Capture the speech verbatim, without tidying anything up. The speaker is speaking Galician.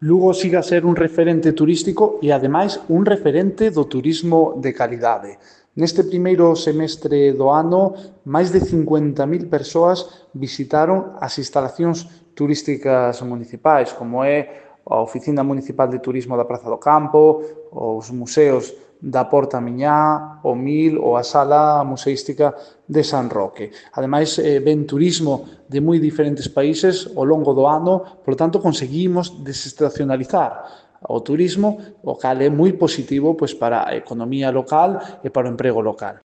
Lugo sigue a ser un referente turístico e, ademais, un referente do turismo de calidade. Neste primeiro semestre do ano, máis de cincuenta mil persoas visitaron as instalacións turísticas municipais, como é a Oficina Municipal de Turismo da Praza do Campo, os museos da Porta Miñá, o Mil ou a Sala Museística de San Roque. Ademais, eh, ven turismo de moi diferentes países ao longo do ano, por tanto, conseguimos desestacionalizar o turismo, o cal é moi positivo pois, para a economía local e para o emprego local.